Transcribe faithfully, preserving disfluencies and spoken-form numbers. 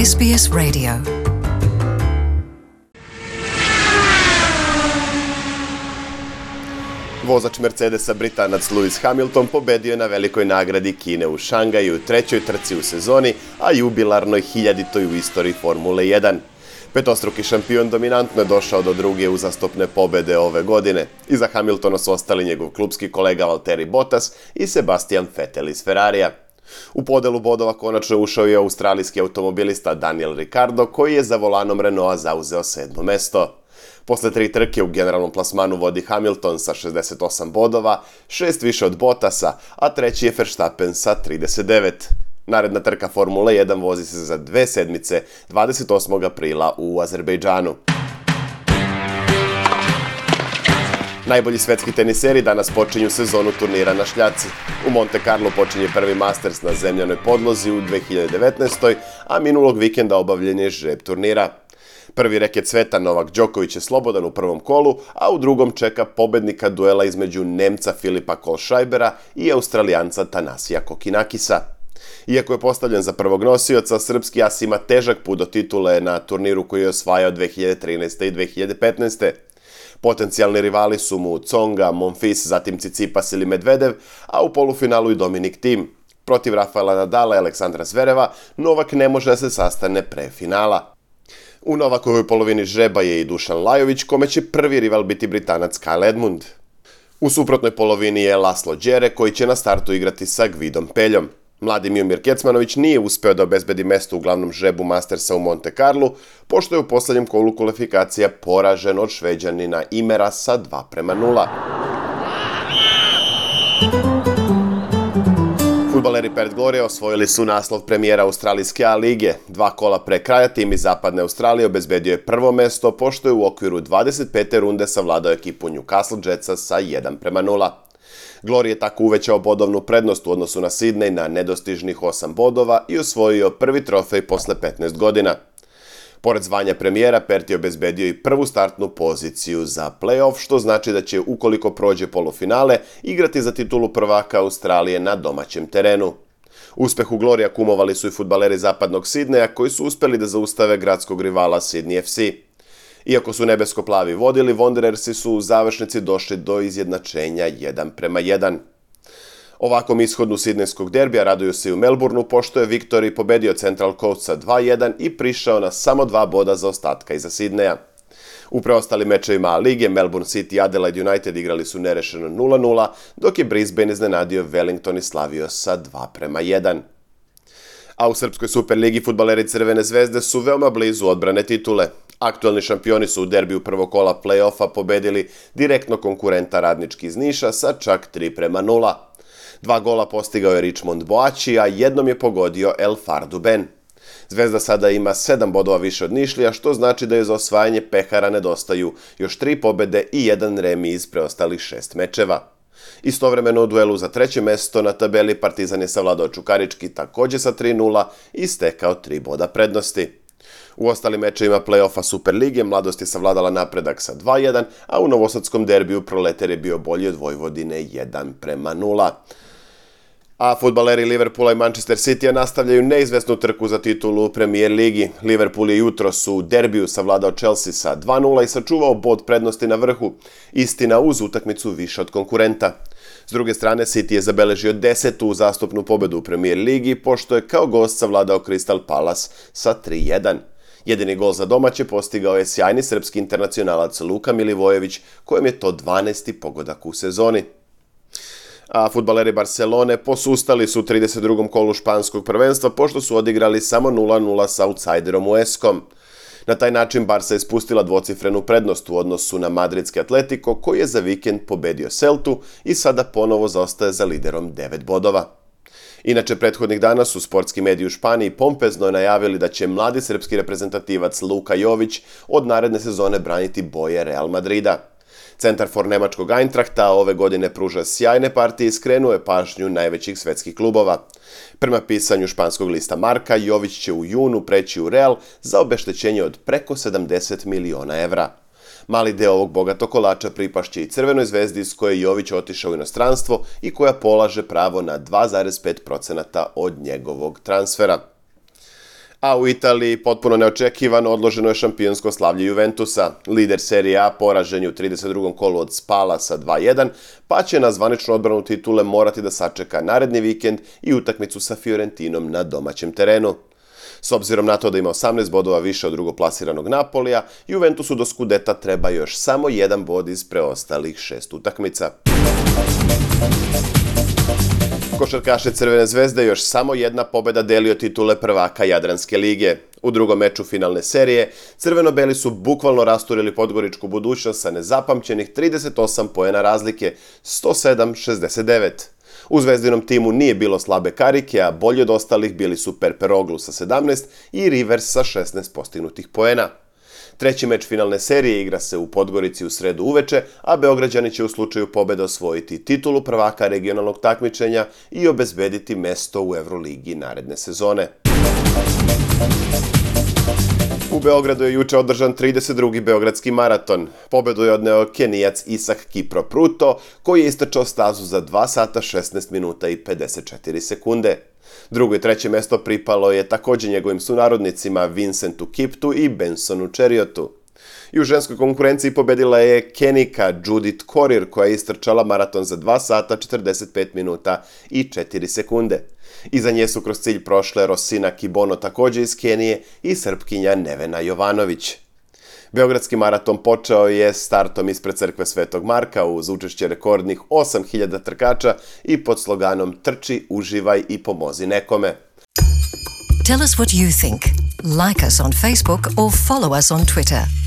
S B S Radio. Vozač Mercedesa Britanac Lewis Hamilton pobedio je na velikoj nagradi Kine u Šangaju, trećoj trci u sezoni, a jubilarnoj hiljaditoj u istoriji Formule jedan. Petostruki šampion dominantno je došao do druge uzastopne pobede ove godine. Iza Hamiltona su ostali njegov klupski kolega Valtteri Bottas i Sebastian Vettel iz Ferrarija. U podelu bodova konačno ušao je australijski automobilista Daniel Ricciardo, koji je za volanom Renaulta zauzeo sedmo mesto. Posle tri trke u generalnom plasmanu vodi Hamilton sa šezdeset osam bodova, šest više od Bottasa, a treći je Verstappen sa trideset devet. Naredna trka Formule jedan vozi se za dve sedmice, dvadeset osmog aprila u Azerbejdžanu. Najbolji svetski teniseri danas počinju sezonu turnira na šljaci. U Monte Carlo počinje prvi Masters na zemljanoj podlozi u dve hiljade devetnaestoj. a minulog vikenda obavljen je žreb turnira. Prvi reket sveta Novak Đoković je slobodan u prvom kolu, a u drugom čeka pobednika duela između Nemca Filipa Kohlscheibera i Australijanca Tanasija Kokinakisa. Iako je postavljen za prvog nosioca, srpski as ima težak put do titule na turniru koji je osvajao dve hiljade trinaeste. i dve hiljade petnaeste. Potencijalni rivali su mu Tsonga, Monfils, zatim Tsitsipas ili Medvedev, a u polufinalu i Dominic Thiem. Protiv Rafaela Nadala i Aleksandra Zvereva, Novak ne može da se sastane pre finala. U Novakovoj polovini žreba je i Dušan Lajović, kome će prvi rival biti Britanac Kyle Edmund. U suprotnoj polovini je Laslo Đere, koji će na startu igrati sa Gvidom Peljom. Mladi Miomir Kecmanović nije uspeo da obezbedi mesto u glavnom žrebu Mastersa u Monte Carlu, pošto je u poslednjem kolu kvalifikacija poražen od Šveđanina Imera sa dva prema nula. Fudbaleri Perth Glory osvojili su naslov premijera Australijske A lige. Dva kola pre kraja tim iz Zapadne Australije obezbedio je prvo mesto, pošto je u okviru dvadeset pete runde savladao ekipu Newcastle Jetsa sa jedan prema nula. Glory je tako uvećao bodovnu prednost u odnosu na Sidney na nedostižnih osam bodova i osvojio prvi trofej posle petnaest godina. Pored zvanja premijera, Perth je obezbedio i prvu startnu poziciju za play-off, što znači da će, ukoliko prođe polufinale, igrati za titulu prvaka Australije na domaćem terenu. Uspehu Glorija kumovali su i fudbaleri zapadnog Sidneja, koji su uspeli da zaustave gradskog rivala Sydney F C. Iako su nebesko-plavi vodili, Wanderersi su u završnici došli do izjednačenja jedan prema jedan. Ovakvom ishodu sidnejskog derbija raduju se i u Melbourneu, pošto je Victory pobedio Central Coast sa dva jedan i prišao na samo dva boda za ostatka iza Sidneja. U preostalim mečevima A lige Melbourne City i Adelaide United igrali su nerešeno nula nula, dok je Brisbane iznenadio Wellington i slavio sa dva prema jedan. A u Srpskoj Superligi fudbaleri Crvene zvezde su veoma blizu odbrane titule. Aktualni šampioni su u derbiju prvog kola play-offa pobedili direktno konkurenta Radnički iz Niša sa čak tri prema nula. Dva gola postigao je Richmond Boači, a jednom je pogodio El Fardu Ben. Zvezda sada ima sedam bodova više od Nišlija, što znači da je za osvajanje pehara nedostaju još tri pobede i jedan remi iz preostalih šest mečeva. Istovremeno u duelu za treće mesto na tabeli Partizan je savladao Čukarički takođe sa tri nula i stekao tri boda prednosti. U ostalim mečevima play-offa Superlige Mladost je savladala Napredak sa dva jedan, a u novosadskom derbiju Proletar je bio bolji od Vojvodine jedan prema nula. A fudbaleri Liverpoola i Manchester Citya nastavljaju neizvesnu trku za titulu u Premier ligi. Liverpool je jutros u derbiju savladao Chelsea sa dva nula i sačuvao bod prednosti na vrhu, istina uz utakmicu više od konkurenta. S druge strane, City je zabeležio desetu uzastopnu pobedu u Premier ligi, pošto je kao gost savladao Crystal Palace sa tri jedan. Jedini gol za domaće postigao je sjajni srpski internacionalac Luka Milivojević, kojem je to dvanaesti pogodak u sezoni. A fudbaleri Barcelone posustali su u trideset drugom kolu španskog prvenstva, pošto su odigrali samo nula nula sa outsiderom U S K-om. Na taj način Barca je spustila dvocifrenu prednost u odnosu na madridski Atletico, koji je za vikend pobedio Celtu i sada ponovo zaostaje za liderom devet bodova. Inače, prethodnih dana su sportski mediji u Španiji pompezno najavili da će mladi srpski reprezentativac Luka Jović od naredne sezone braniti boje Real Madrida. Centarfor nemačkog Eintrachta ove godine pruža sjajne partije i skrenuo je pažnju najvećih svetskih klubova. Prema pisanju španskog lista Marka, Jović će u junu preći u Real za obeštećenje od preko sedamdeset miliona evra. Mali deo ovog bogatog kolača pripašće i Crvenoj zvezdi iz koje je Jović otišao u inostranstvo i koja polaže pravo na dva zarez pet posto od njegovog transfera. A u Italiji potpuno neočekivano odloženo je šampionsko slavlje Juventusa. Lider Serije A poražen je u trideset drugom kolu od Spala sa dva jedan, pa će na zvaničnu odbranu titule morati da sačeka naredni vikend i utakmicu sa Fiorentinom na domaćem terenu. S obzirom na to da ima osamnaest bodova više od drugoplasiranog Napolija, Juventusu do Skudeta treba još samo jedan bod iz preostalih šest utakmica. Košarkaše Crvene zvezde još samo jedna pobeda delio titule prvaka Jadranske lige. U drugom meču finalne serije, crveno-beli su bukvalno rasturili podgoričku budućnost sa nezapamćenih trideset osam poena razlike, sto sedam šezdeset devet. U zvezdinom timu nije bilo slabe karike, a bolji od ostalih bili su Perperoglu sa sedamnaest i Rivers sa šesnaest postignutih poena. Treći meč finalne serije igra se u Podgorici u sredu uveče, a Beograđani će u slučaju pobede osvojiti titulu prvaka regionalnog takmičenja i obezbediti mesto u Evroligi naredne sezone. U Beogradu je juče održan trideset drugi Beogradski maraton. Pobedu je odneo Kenijac Isak Kipro-Pruto, koji je istrčao stazu za dva sata šesnaest minuta i pedeset četiri sekunde. Drugo i treće mesto pripalo je također njegovim sunarodnicima Vincentu Kiptu i Bensonu Čeriotu. I u ženskoj konkurenciji pobedila je Kenika Judith Korir, koja je istrčala maraton za dva sata četrdeset pet minuta i četiri sekunde. Iza nje su kroz cilj prošle Rosina Kibono također iz Kenije i Srpkinja Nevena Jovanović. Beogradski maraton počeo je startom ispred crkve Svetog Marka uz učešće rekordnih osam hiljada trkača i pod sloganom Trči, uživaj i pomozi nekome. Tell us what you think. Like us on Facebook or follow us on Twitter.